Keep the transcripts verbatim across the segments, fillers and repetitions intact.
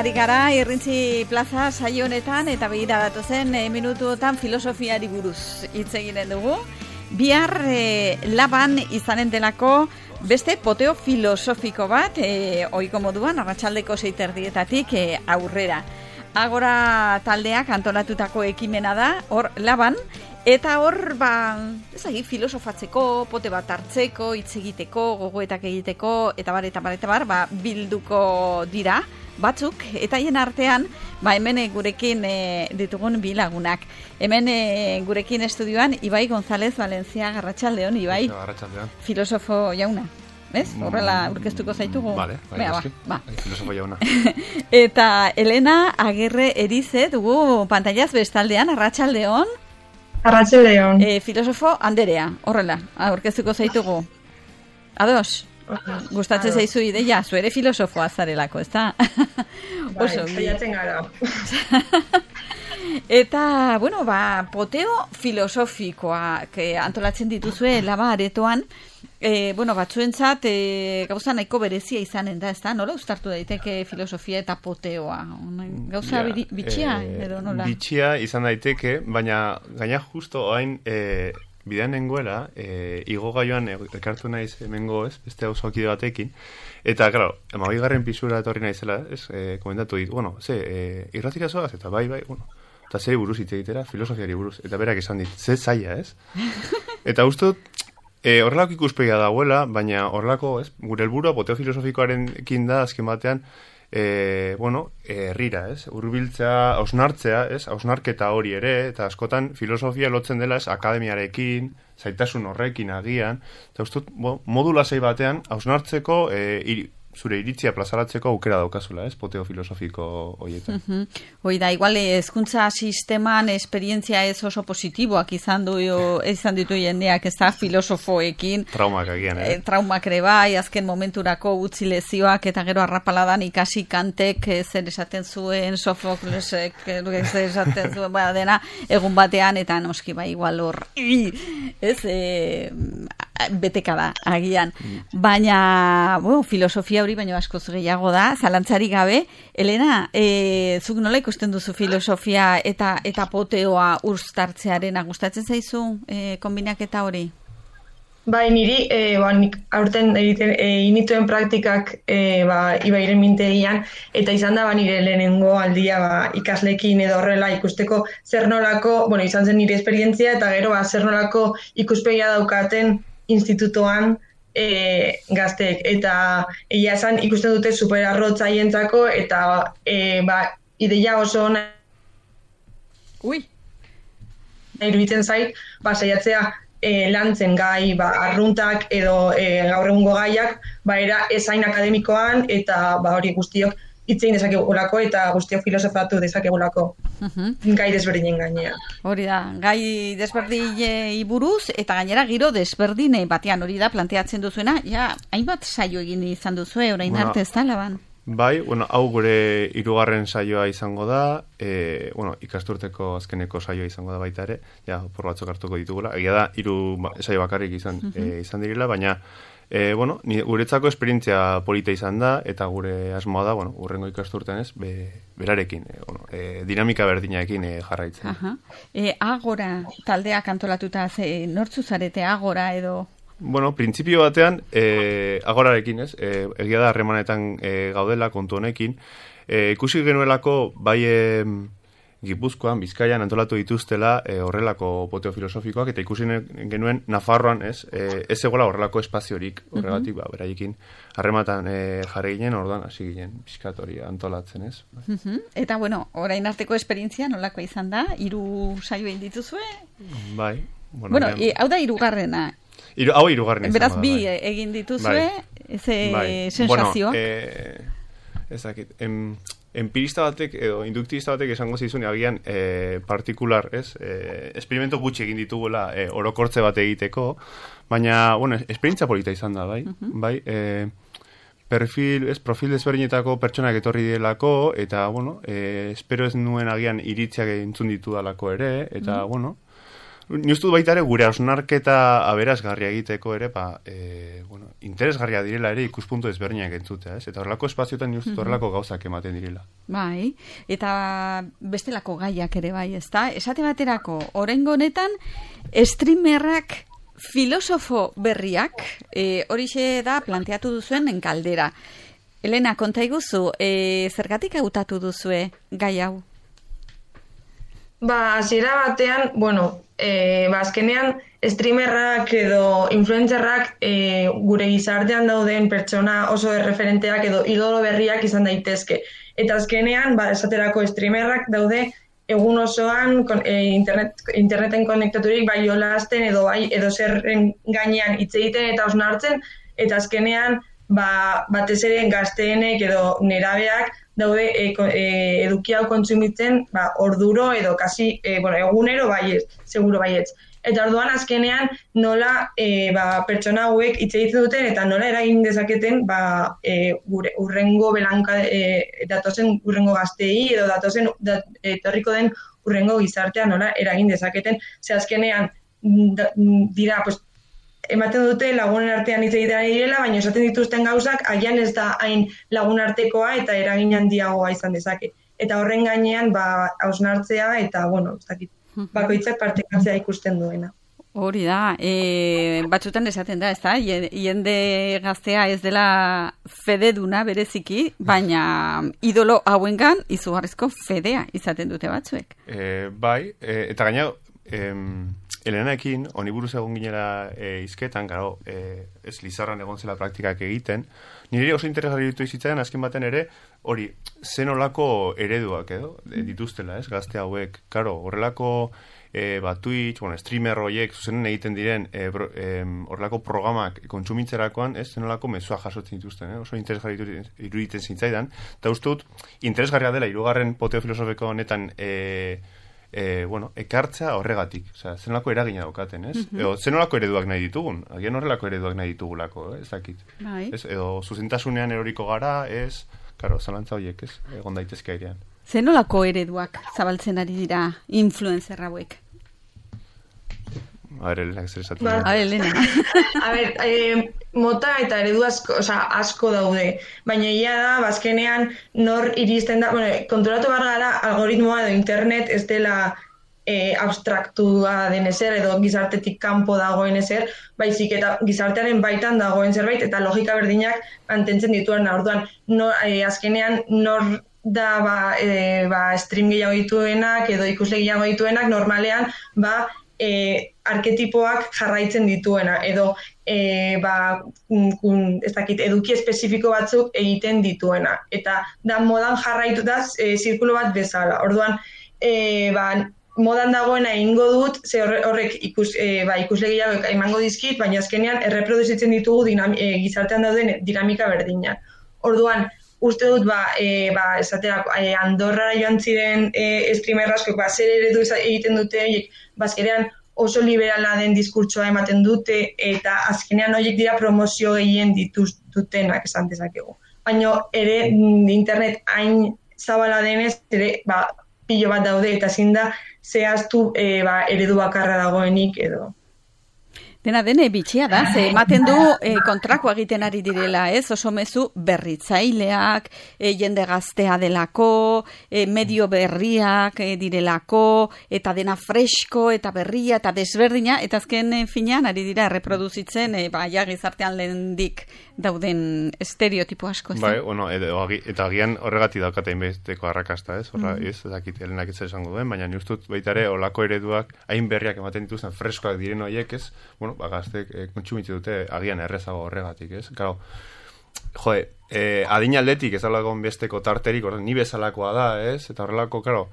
ari gara, Irrintzi Plaza saio honetan, eta begira datozen e, minutuotan filosofiari buruz hitz eginen dugu. Bihar e, laban izanen delako beste poteo filosofiko bat, e, ohiko moduan, arratsaldeko sei terdietatik e, aurrera. Agora taldeak antolatutako ekimena da, hor laban, eta hor, ba, ezagi, filosofatzeko, pote bat hartzeko, hitz egiteko, gogoetak egiteko, eta bar, eta bar, eta bar, ba, bilduko dira, batzuk, eta hien artean, ba, hemen gurekin e, ditugun bilagunak. Hemen e, gurekin estudioan, Ibai González Valencia, arratsaldeon, Ibai, filosofo jauna. Ez? Horrela urkeztuko zaitugu. Vale, bai, Bea, ba, ba. filosofo jauna. Eta Elena Agirre Erize dugu pantallaz bestaldean, arratsaldeon. Arratsaldeon. E, filosofo Anderea, horrela, aurkeztuko zaitugu. Ados? Gustatzen zaizu ideia, zu ere filosofoa zarelako, ezta? Bai, saiatzen gara. Eta, bueno, ba, poteo filosofikoa que antolatzen dituzue laba aretoan, e, bueno, batzuentzat e, gauza nahiko berezia izanen da, ezta? Nola uztartu daiteke filosofia eta poteoa? Gauza ja, bitxia, e, edo nola? Bitxia izan daiteke, baina gaina justo oain e, bidean nengoela, e, igo gaioan ekartu naiz hemengo, ez, beste hausokide batekin, eta, claro, emabigarren pisura etorri naizela, ez, e, komentatu dit, bueno, ze, e, irratira zoaz, eta bai, bai, bueno, eta zeri buruz hitz egitera, filosofiari buruz, eta berak esan dit, ze zaila, ez? Eta ustut, e, horrelako ikuspegia dagoela, baina horrelako, ez, gure helburua poteo filosofikoarekin da, azken batean, e, bueno, herrira, ez, hurbiltzea, hausnartzea, ez, hausnarketa hori ere, eta askotan filosofia lotzen dela, ez, akademiarekin, zaitasun horrekin agian, eta ustut, bo, modu lasai batean, hausnartzeko, e, iri, zure iritzia plazaratzeko aukera daukazula, ez, poteo filosofiko horietan. Uh-huh. Hoi da, igual hezkuntza sisteman esperientzia ez oso positiboak izan du izan ditu jendeak, ez da, filosofoekin. Traumak agian, eh? E, traumak ere bai, azken momenturako utzi lezioak, eta gero arrapaladan ikasi Kantek zer esaten zuen, Sofoklesek zer esaten zuen, ba, dena, egun batean, eta noski bai, igual hor, ez, e, beteka da, agian. Baina, bueno, filosofia hori baino askoz gehiago da, zalantzari gabe. Elena, e, zuk nola ikusten duzu filosofia eta eta poteoa uztartzearen gustatzen zaizu e, kombinaketa hori? Bai, niri, e, ba, nik aurten egiten e, inituen praktikak e, ba, Ibairen mintegian, eta izan da ba, nire lehenengo aldia ba, ikaslekin edo horrela ikusteko zer nolako, bueno, izan zen nire esperientzia, eta gero ba, zer nolako ikuspegia daukaten institutoan e, gazteek, eta egia esan ikusten dute superarrotzaientzako, eta e, ba, ideia oso ona Ui. iruditzen zait, ba, saiatzea e, lantzen gai, ba, arruntak edo e, gaur egungo gaiak, ba, era esain akademikoan, eta ba, hori guztiok hitzein dezakegulako eta guztiok filosofatu dezakegulako uh-huh. gai desberdinen gainera. Hori da, gai desberdinei buruz eta gainera giro desberdine batean, hori da planteatzen duzuena, ja, hainbat saio egin izan duzue, orain bueno, arte ez da, laban? Bai, bueno, hau gure hirugarren saioa izango da, e, bueno, ikasturteko azkeneko saioa izango da baita ere, ja, por batzuk hartuko ditugula, egia da, hiru saio bakarrik izan, uh-huh. e, izan direla, baina E, bueno, ni, guretzako esperientzia polita izan da, eta gure asmoa da, bueno, urrengo ikasturtean ez, be, berarekin, e, bueno, e, dinamika berdinaekin e, jarraitzen. Aha. E, agora taldeak antolatuta, ze, nortzu zarete agora edo? Bueno, printzipio batean, e, agorarekin ez, e, egia da harremanetan e, gaudela kontu honekin, e, ikusi genuelako bai e, Gipuzkoan, Bizkaian antolatu dituztela e, horrelako poteo filosofikoak, eta ikusi genuen Nafarroan, ez, e, ez egola horrelako espaziorik, horregatik, uh-huh. ba, beraiekin harrematan e, jarri ginen, ordan hasi ginen bizkatoria antolatzen, ez. Uh-huh. Eta, bueno, orain arteko esperientzia nolako izan da, hiru saio egin dituzue? Bai. Bueno, bueno e, hau da hirugarrena. Iru, hau hirugarrena izan. Beraz, da, bi bai. egin dituzue, bai. ze bai. sensazioak? Bueno, e, ez dakit, em... empirista batek edo induktibista batek esango zizun agian e, partikular, ez? E, experimento gutxi egin ditugula e, orokortze bat egiteko, baina, bueno, esperientzia polita izan da, bai? Uh-huh. Bai, e, perfil, ez, profil desberdinetako pertsonak etorri delako, eta, bueno, e, espero ez nuen agian iritziak entzun ditu dalako ere, eta, uh-huh. bueno, Ni uste dut baita ere gure hausnarketa aberasgarria egiteko ere, ba, e, bueno, interesgarria direla ere ikuspuntu ezberdinak entzutea, ez? Eta horrelako espazioetan ni uste dut horrelako gauzak ematen direla. Bai, eta bestelako gaiak ere bai, ezta? Esate baterako, oraingo honetan streamerrak filosofo berriak, e, horixe da planteatu duzuen enkaldera. Elena, konta iguzu, e, zergatik hautatu duzue gai hau? Ba, hasiera batean, bueno, e, ba, azkenean streamerrak edo influencerrak e, gure gizartean dauden pertsona oso erreferenteak edo idolo berriak izan daitezke. Eta azkenean, ba, esaterako streamerrak daude egun osoan kon, e, internet, interneten konektaturik bai jolasten edo bai edo zerren gainean hitz egiten eta osnartzen, eta azkenean ba, batez ere gazteenek edo nerabeak daude e, e, eduki hau kontsumitzen ba, orduro edo kasi e, bueno, egunero baietz, seguro baietz. Eta orduan azkenean nola e, ba, pertsona hauek hitz egiten duten eta nola eragin dezaketen ba, e, gure urrengo belanka e, datozen urrengo gaztei edo datozen dat, etorriko den urrengo gizartea nola eragin dezaketen. Ze azkenean da, dira, pues, ematen dute lagunen artean hitz egiten ari direla, baina esaten dituzten gauzak agian ez da hain lagun artekoa eta eragin handiagoa izan dezake. Eta horren gainean ba hausnartzea eta bueno, ez dakit, bakoitzak partekatzea ikusten duena. Hori da, e, batzutan esaten da, ez da, jende gaztea ez dela fededuna bereziki, baina idolo hauengan izugarrizko fedea izaten dute batzuek. E, bai, e, eta gaina, em, Elenaekin, honi buruz egon ginera e, izketan, garo, e, ez Lizarran egon zela praktikak egiten, nire oso interesgarri ditu izitzen, azken baten ere, hori, zenolako ereduak edo, dituztela, ez, gazte hauek, karo, horrelako e, ba, Twitch, bueno, streamer horiek, zuzenen egiten diren, e, bro, e, horrelako programak kontsumitzerakoan, ez, zenolako mezua jasotzen dituzten, eh? Oso interesgarri iruditzen zintzaidan, eta uste dut, interesgarria dela, hirugarren poteo filosofiko honetan, e, E, bueno, ekartza horregatik, osea, zenolako eragina daukaten, ez? Uh-huh. Edo zenolako ereduak nahi ditugun, agian horrelako ereduak nahi ditugulako, eh? Ez dakit. Bai. Ez? Edo zuzentasunean eroriko gara, ez, karo, zalantza horiek, ez, egon daitezke airean. Zenolako ereduak zabaltzen ari dira influencer hauek? A ber, Elena, zer esatu. Ba, a ber, Elena. A ber, eh, mota eta eredu asko, oza, asko daude, baina ia da, bazkenean nor iristen da, bueno, konturatu behar gara algoritmoa edo internet ez dela eh, abstraktua den ezer edo gizartetik kanpo dagoen ezer, baizik eta gizartearen baitan dagoen zerbait eta logika berdinak mantentzen dituen orduan, no, eh, azkenean nor da ba, eh, ba, stream gehiago dituenak edo ikusle gehiago dituenak normalean ba, E, arketipoak jarraitzen dituena edo e, ba, un, ez dakit, eduki espezifiko batzuk egiten dituena eta da modan jarraitu da e, zirkulo bat bezala. Orduan e, ba, modan dagoena egingo dut ze horrek ikus, e, ba, ikusle gehiago emango dizkit, baina azkenean erreproduzitzen ditugu dinam, e, gizartean dauden dinamika berdinak. Orduan uste dut, ba, e, ba, esaterako, e, Andorrara joan ziren e, streamer askok, ba, zer eredu egiten dute, horiek, bazkerean oso liberala den diskurtsoa ematen dute, eta azkenean horiek dira promozio gehien dituz dutenak esan dezakegu. Baina ere internet hain zabala denez, ere, ba, pilo bat daude, eta ezin da zehaztu e, ba, eredu bakarra dagoenik edo. Dena dene bitxia da, ze ematen du e, kontrakoa egiten ari direla, ez? Oso mezu berritzaileak, e, jende gaztea delako, e, medio berriak e, direlako, eta dena fresko, eta berria, eta desberdina, eta azken e, finean ari dira erreproduzitzen, e, ba, ja gizartean lehendik dauden estereotipo asko. Ez? Bai, bueno, edo, agi, eta agian horregati daukata inbesteko arrakasta, ez? Horra, mm. ez, dakit, Elenak ez esango duen, baina ni ustut baita ere olako ereduak hain berriak ematen dituzten freskoak diren horiek, ez? Bueno, ba, gaztek e, kontsumitze dute agian errezago horregatik, ez? Claro, jode, e, adin aldetik ez alagon besteko tarterik, ordan, ni bezalakoa da, ez? Eta horrelako, claro,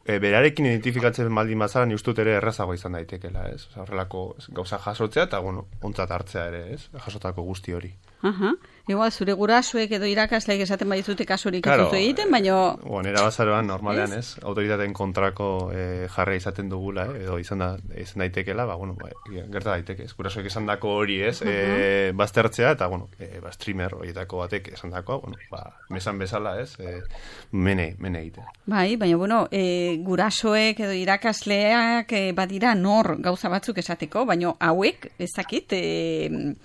e, berarekin identifikatzen baldin bazara, ni ustut ere errezago izan daitekela, ez? Horrelako gauza jasotzea eta, bueno, ontzat hartzea ere, ez? Jasotako guzti hori. Aha. Igual, zure gurasuek edo irakasleek esaten badizute kasurik ez duzu egiten, baina... Bueno, nera bazaroan, normalean ez, autoritateen kontrako eh, jarra izaten dugula, eh, edo izan, da, izan daitekela, ba, bueno, ba, gerta daiteke, ez, gurasuek esan dako hori ez, uh-huh. eh, baztertzea, eta, bueno, eh, ba, streamer horietako batek esan dakoa, bueno, ba, mesan bezala ez, eh, mene, mene egitea. Bai, baina, bueno, eh, gurasoek edo irakasleak eh, badira nor gauza batzuk esateko, baina hauek, ez dakit, eh,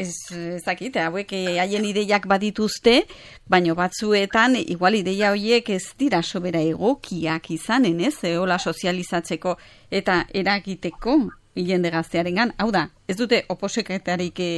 Ez, ez dakit, hauek haien ideiak badituzte, baino batzuetan, igual ideia horiek ez dira sobera egokiak izanen, ez, eola sozializatzeko eta eragiteko jende gaztearengan. Hau da, ez dute oposaketarik e,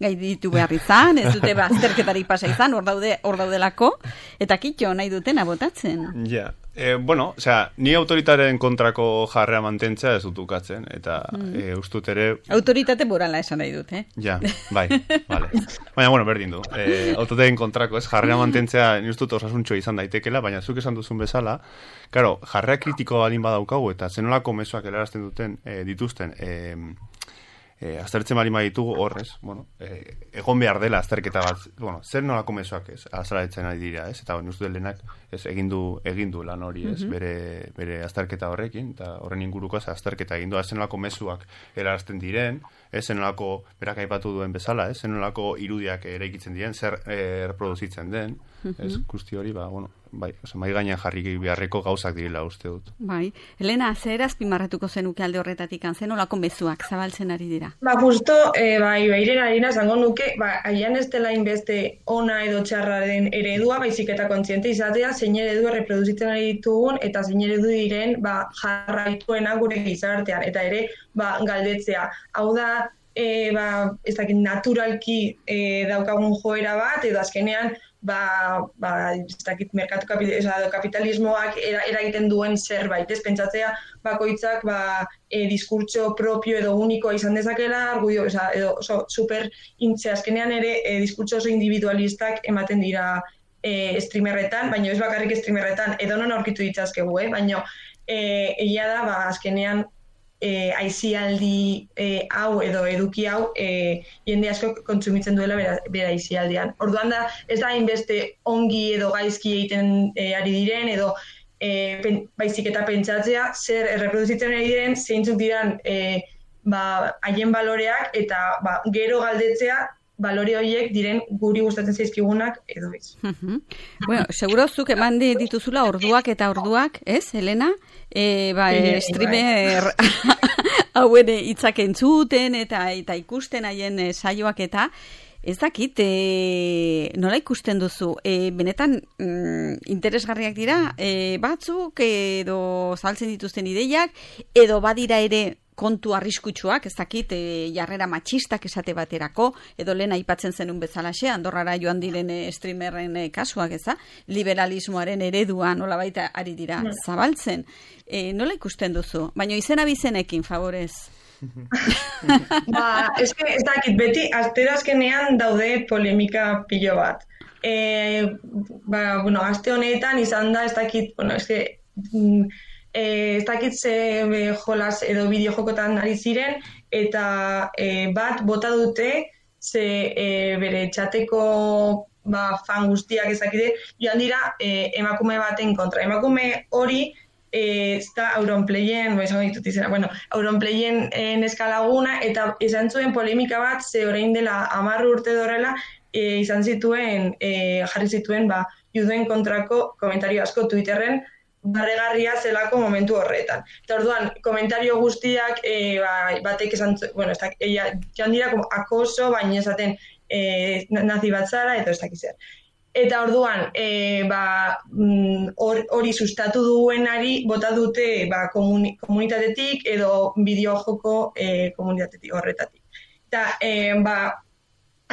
gai ditu behar izan, ez dute bazterketarik pasa izan, hor daude, hor daudelako, eta kitxo nahi dutena botatzen. Ja, eh, bueno, osea, ni autoritaren kontrako jarrea mantentzea ez dut ukatzen, eta mm. e, ustut ere... Autoritate morala esan nahi dut, eh? Ja, bai, vale. Baina, bueno, berdin du. E, autoritaren kontrako, ez, jarrea mantentzea ni ustut osasuntxo izan daitekela, baina zuk esan duzun bezala, claro, jarrea kritiko balin badaukagu, eta zenolako mezuak helarazten duten, e, dituzten, e, E, aztertzen bali ditugu horrez, bueno, e, egon behar dela azterketa bat, bueno, zer nolako mezuak ez, azalatzen ari dira, ez, eta bueno, uste lehenak ez, egindu, egindu lan hori, ez, mm-hmm. bere, bere azterketa horrekin, eta horren inguruko ez, azterketa egindu, zer nolako mezuak erarazten diren, ez, zer nolako, berak aipatu duen bezala, ez, zer nolako irudiak eraikitzen diren, zer e, reproduzitzen den, mm-hmm. ez, guzti hori, ba, bueno, bai, oza, mai gainean jarri beharreko gauzak direla uste dut. Bai, Elena, zer azpimarratuko zenuke alde horretatik, zen olako mezuak zabaltzen ari dira? Ba, justo, e, bai, bairen harina zango nuke, ba, aian ez dela inbeste ona edo txarraren eredua, baizik eta kontziente izatea, zein eredu reproduzitzen ari ditugun, eta zein eredu diren, ba, jarraituena gure gizartean, eta ere, ba, galdetzea. Hau da, e, ba, ez dakit, naturalki e, daukagun joera bat, edo azkenean, ba, ba, ez dakit, merkatu kapitalismoak era, eragiten duen zerbait, ez pentsatzea bakoitzak ba, e, diskurtso propio edo unikoa izan dezakela, argudio, oza, edo oso super intze azkenean ere e, diskurtso oso individualistak ematen dira e, streamerretan, baina ez bakarrik streamerretan, edo non aurkitu ditzazkegu, eh? Baina e, egia da, ba, azkenean E, aizialdi e, hau edo eduki hau e, jende asko kontsumitzen duela bera, bera aizialdian. Orduan da, ez da hainbeste ongi edo gaizki egiten e, ari diren edo e, pen, baizik eta pentsatzea zer erreproduzitzen ari diren, zeintzuk diran e, ba, haien baloreak eta ba, gero galdetzea balore horiek diren guri gustatzen zaizkigunak edo ez. Bueno, seguro zuk eman dituzula orduak eta orduak, ez, Elena? E, ba, e, streamer hauen hitzak entzuten eta eta ikusten haien saioak eta ez dakit, e, nola ikusten duzu? E, benetan mm, interesgarriak dira e, batzuk edo saltzen dituzten ideiak edo badira ere kontu arriskutsuak, ez dakit, e, jarrera matxistak esate baterako, edo lehen aipatzen zenun bezalaxe, Andorrara joan diren e, streamerren e, kasuak, eza, liberalismoaren eredua nola baita ari dira no. zabaltzen. E, nola ikusten duzu? Baina izena bizenekin, favorez. Ba, eske, ez dakit, beti, asterazkenean daude polemika pilo bat. E, ba, bueno, aste honetan izan da, ez dakit, bueno, eske... Mm, ez dakit ze jolas edo bideojokotan ari ziren, eta e, bat bota dute, ze e, bere txateko ba, fan guztiak ezakide, joan dira e, emakume baten kontra. Emakume hori, e, ez da Auronplayen, bo esan ditut izena, bueno, Auronplayen neskalaguna, eta izan zuen polemika bat, ze orain dela hamar urte dorrela, e, izan zituen, e, jarri zituen, ba, juduen kontrako komentario asko Twitterren, barregarria zelako momentu horretan. Eta orduan, komentario guztiak e, ba, batek esan, bueno, ez da, ella, joan dira como acoso, baina esaten e, nazi bat zara, eta ez dakiz zer. Eta orduan, e, ba, hori or, sustatu duenari bota dute ba, komuni, komunitatetik edo bideojoko e, komunitatetik horretatik. Eta, e, ba,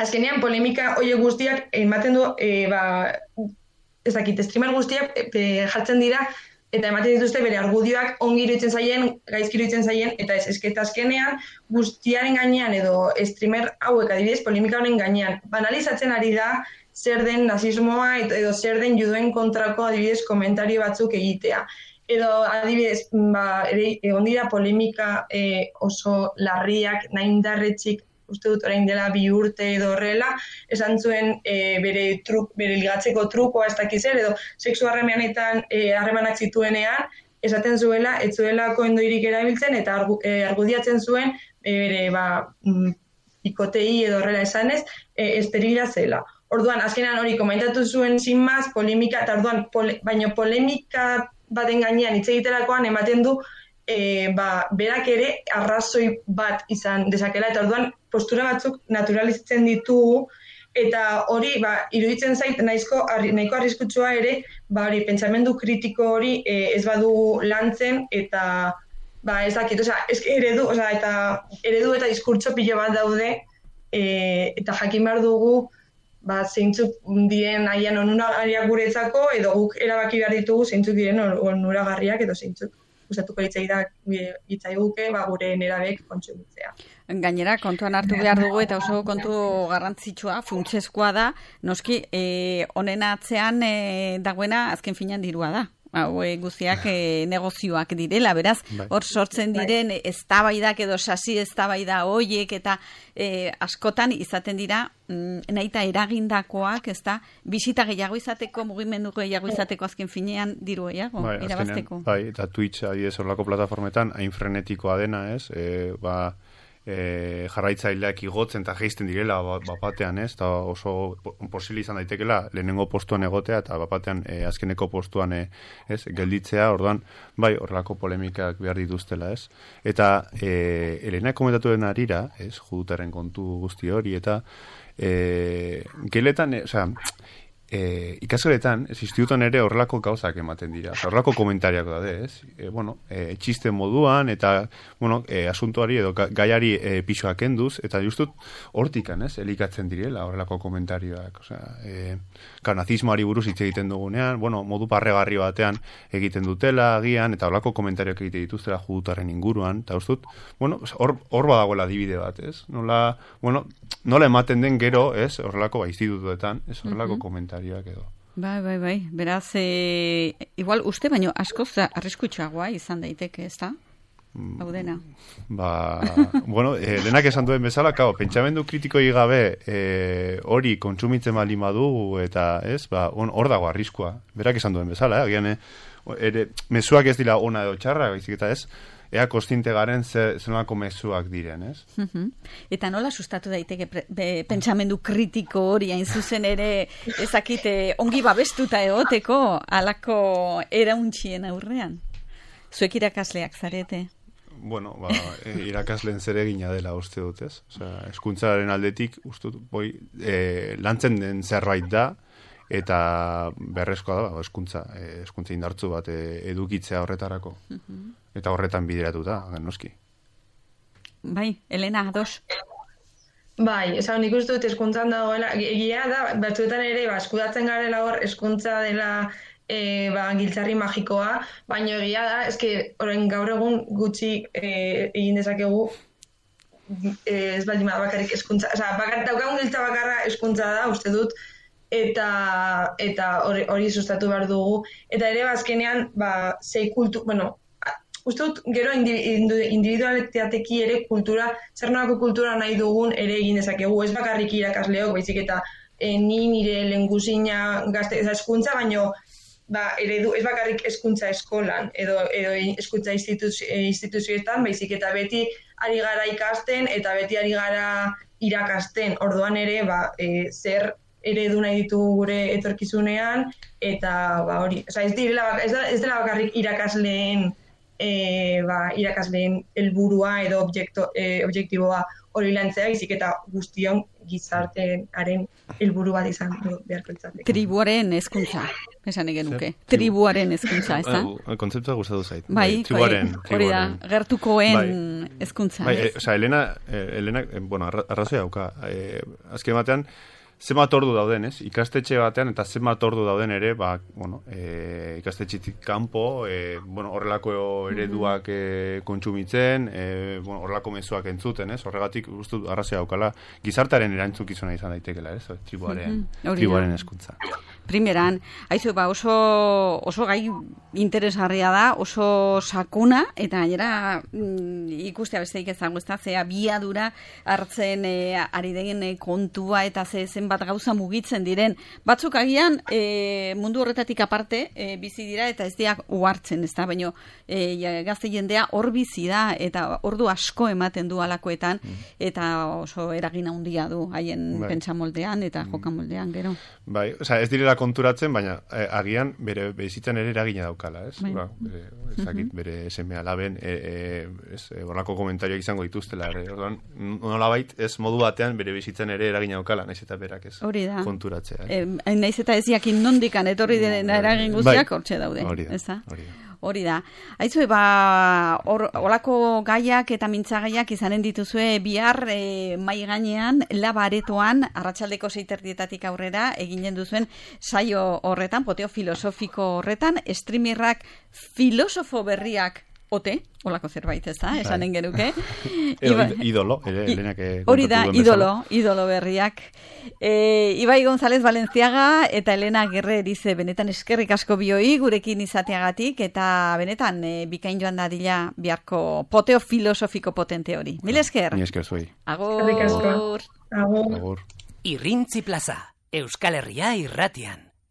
azkenean polemika horiek guztiak ematen du, e, ba, ez dakit, streamer guztiak e, jartzen dira eta ematen dituzte bere argudioak ongi iruditzen zaien, gaizki iruditzen zaien, eta ez esketa azkenean guztiaren gainean edo streamer hauek adibidez polemika honen gainean banalizatzen ari da zer den nazismoa edo zer den juduen kontrako adibidez komentario batzuk egitea. Edo adibidez, ba, ere, egon dira polemika e, oso larriak, naindarretxik uste dut orain dela bi urte edo horrela, esan zuen e, bere, truk, bere ligatzeko trukoa ez dakiz zer, edo sexu harremanetan e, harremanak zituenean, esaten zuela, ez zuela kondoirik erabiltzen, eta argu, e, argudiatzen zuen bere ba, pikotei edo horrela esanez, e, esterila zela. Orduan, azkenan hori komentatu zuen sinmaz, polemika, eta orduan, pole, baino polemika baten gainean hitz egiterakoan ematen du e, ba, berak ere arrazoi bat izan dezakela, eta orduan postura batzuk naturalizatzen ditugu, eta hori ba, iruditzen zait nahizko, arri, nahiko arriskutsua ere, ba, hori, pentsamendu kritiko hori e, ez badugu lantzen, eta ba, ez dakit, oza, ez eredu, oza, eta eredu eta diskurtso pilo bat daude, e, eta jakin behar dugu, ba, zeintzuk diren haian onuragarriak guretzako, edo guk erabaki behar ditugu zeintzuk diren onuragarriak, edo zeintzuk gustatuko hitzaiguke ba, gure nerabek kontsumitzea. Gainera, kontuan hartu behar dugu, eta oso kontu garrantzitsua, funtsezkoa da, noski, e, honen atzean e, dagoena azken finan dirua da. Hau guztiak e, negozioak direla, beraz, hor sortzen diren eztabaidak edo sasi eztabaida hoiek eta e, askotan izaten dira mm, nahita eragindakoak, ez da, bisita gehiago izateko, mugimendu gehiago izateko azken finean diru gehiago, bai, irabazteko. Bai, eta Twitch, adibidez, horrelako plataformetan, hain frenetikoa dena, ez, e, ba, E, jarraitzaileak igotzen eta geisten direla bapatean, ez, eta oso posili izan daitekela lehenengo postuan egotea eta bapatean e, azkeneko postuan e, ez, gelditzea, orduan, bai, horrelako polemikak behar dituztela, ez. Eta e, Elena komentatu den arira, ez, judutaren kontu guzti hori, eta e, geletan, e, osea, E, ikasgeletan, ez instituton ere horrelako gauzak ematen dira. Horrelako komentariak da, ez? E, bueno, e, txiste moduan, eta, bueno, e, asuntoari edo gaiari e, pixoak enduz, eta justut hortikan, ez? Elikatzen direla horrelako komentarioak. Osea, e, nazismoari buruz hitz egiten dugunean, bueno, modu parregarri batean egiten dutela, agian, eta horrelako komentarioak egite dituztela judutaren inguruan, eta justut, bueno, hor, hor badagoela adibide bat, ez? Nola, bueno, nola ematen den gero, ez? Horrelako ba, institutuetan, ez? Horrelako uh-huh. komentarioak. Edo. Bai, bai, bai. Beraz, e, igual uste baino askoz arriskutsuagoa izan daiteke, ez da? Hau dena. Ba, bueno, e, lehenak esan duen bezala, kao, pentsamendu kritikoi gabe e, hori kontsumitzen bali madugu eta, ez, ba, on, hor dago arriskua. Berak esan duen bezala, eh? Agian, ere, mezuak ez dira ona edo txarra, baizik eta ez, ea kostinte garen zenolako mezuak diren, ez? Uh-huh. Eta nola sustatu daiteke pre, be, pentsamendu kritiko hori hain zuzen ere ezakite ongi babestuta egoteko alako erauntxien aurrean? Zuek irakasleak zarete? Bueno, ba, irakasleen zeregina dela uste dut, ez? Osea, hezkuntzaren aldetik, uste dut, boi, e, lantzen den zerbait da, eta berrezkoa da, hezkuntza, hezkuntza indartzu bat edukitzea horretarako. Uh-huh. Eta horretan bideratuta, noski. Bai, Elena, ados. Bai, esan nik uste dut hezkuntzan dagoela, egia da, batzuetan ere, ba, eskudatzen garela hor, hezkuntza dela e, ba, giltzarri magikoa, baina egia da, eske, orain gaur egun gutxi e, egin dezakegu, e, ez baldin bakarrik hezkuntza, oza, bakar, daukagun giltza bakarra hezkuntza da, uste dut, eta eta hori, hori sustatu behar dugu. Eta ere, bazkenean, ba, zei kultu, bueno, uste dut, gero individualitateki ere kultura, zer nolako kultura nahi dugun ere egin dezakegu, ez bakarrik irakasleok, baizik eta e, ni nire lehengusina gazte, ez hezkuntza, baino ba, eredu, ez bakarrik hezkuntza eskolan, edo, edo hezkuntza instituzio, instituzioetan, baizik eta beti ari gara ikasten, eta beti ari gara irakasten, orduan ere, ba, e, zer eredu nahi ditugu gure etorkizunean, eta ba, hori, oza, ez, direla, ez, da, ez dela bakarrik irakasleen E, ba, irakasleen helburua edo objekto, e, objektiboa hori lantzea, izik eta guztion gizartearen helburu bat izan beharko izatek. Tribuaren hezkuntza, esan egen nuke. Tribuaren hezkuntza, ez da? Ah, kontzeptua gustatu zait. Bai, tribuaren. Hori da, gertukoen hezkuntza. Bai, e, oza, Elena, eh, Elena, eh, bueno, arrazoi hauka. Eh, azken batean, zenbat ordu dauden, ez? Ikastetxe batean eta zenbat ordu dauden ere, ba, bueno, e, ikastetxetik kanpo, e, bueno, horrelako ereduak e, kontsumitzen, e, bueno, horrelako mezuak entzuten, ez? Horregatik, uste arrazia daukala, gizartaren erantzukizuna izan daitekela, ez? Tribuaren, mm-hmm. tribuaren hezkuntza. primeran, haizu, ba, oso, oso gai interesgarria da, oso sakuna, eta gainera mm, ikustea besteik ezago, ez da, ze abiadura hartzen e, ari den e, kontua, eta ze zenbat gauza mugitzen diren. Batzuk agian e, mundu horretatik aparte e, bizi dira, eta ez diak uhartzen, ez da, baina e, gazte jendea hor bizi da, eta ordu asko ematen du alakoetan, mm. eta oso eragin handia du haien bai. Pentsamoldean eta jokamoldean, gero. Bai, osea, ez direla konturatzen, baina eh, agian bere bizitzan ere eragina daukala, ez? Bai. Ba, bere, ezakit, bere seme alaben, e, e, ez, horrako komentarioak izango dituztela, ere. Orduan, nolabait, ez modu batean bere bizitzan ere eragina daukala, naiz eta berak ez konturatzea. Eh? E, naiz eta ez jakin nondikan etorri den eragin guztiak bai. Hortxe daude. Hori da, hori da. Hori da. Aizu, ba, or, olako gaiak eta mintzagaiak izanen dituzue bihar e, mai gainean, laba aretoan, arratsaldeko seiterdietatik aurrera, eginen duzuen saio horretan, poteo filosofiko horretan, streamerrak filosofo berriak ote, olako zerbait ez da, esanen genuke. Iba, idolo, ere, Elenak hori da, idolo, idolo berriak. E, Ibai González Valenciaga eta Elena Gerre dize, benetan eskerrik asko bioi gurekin izateagatik, eta benetan e, bikain joan da dila biharko poteo filosofiko potente hori. Mil esker. Mil esker zuei. Agur. Agur. Agur. Irrintzi plaza, Euskal Herria irratian.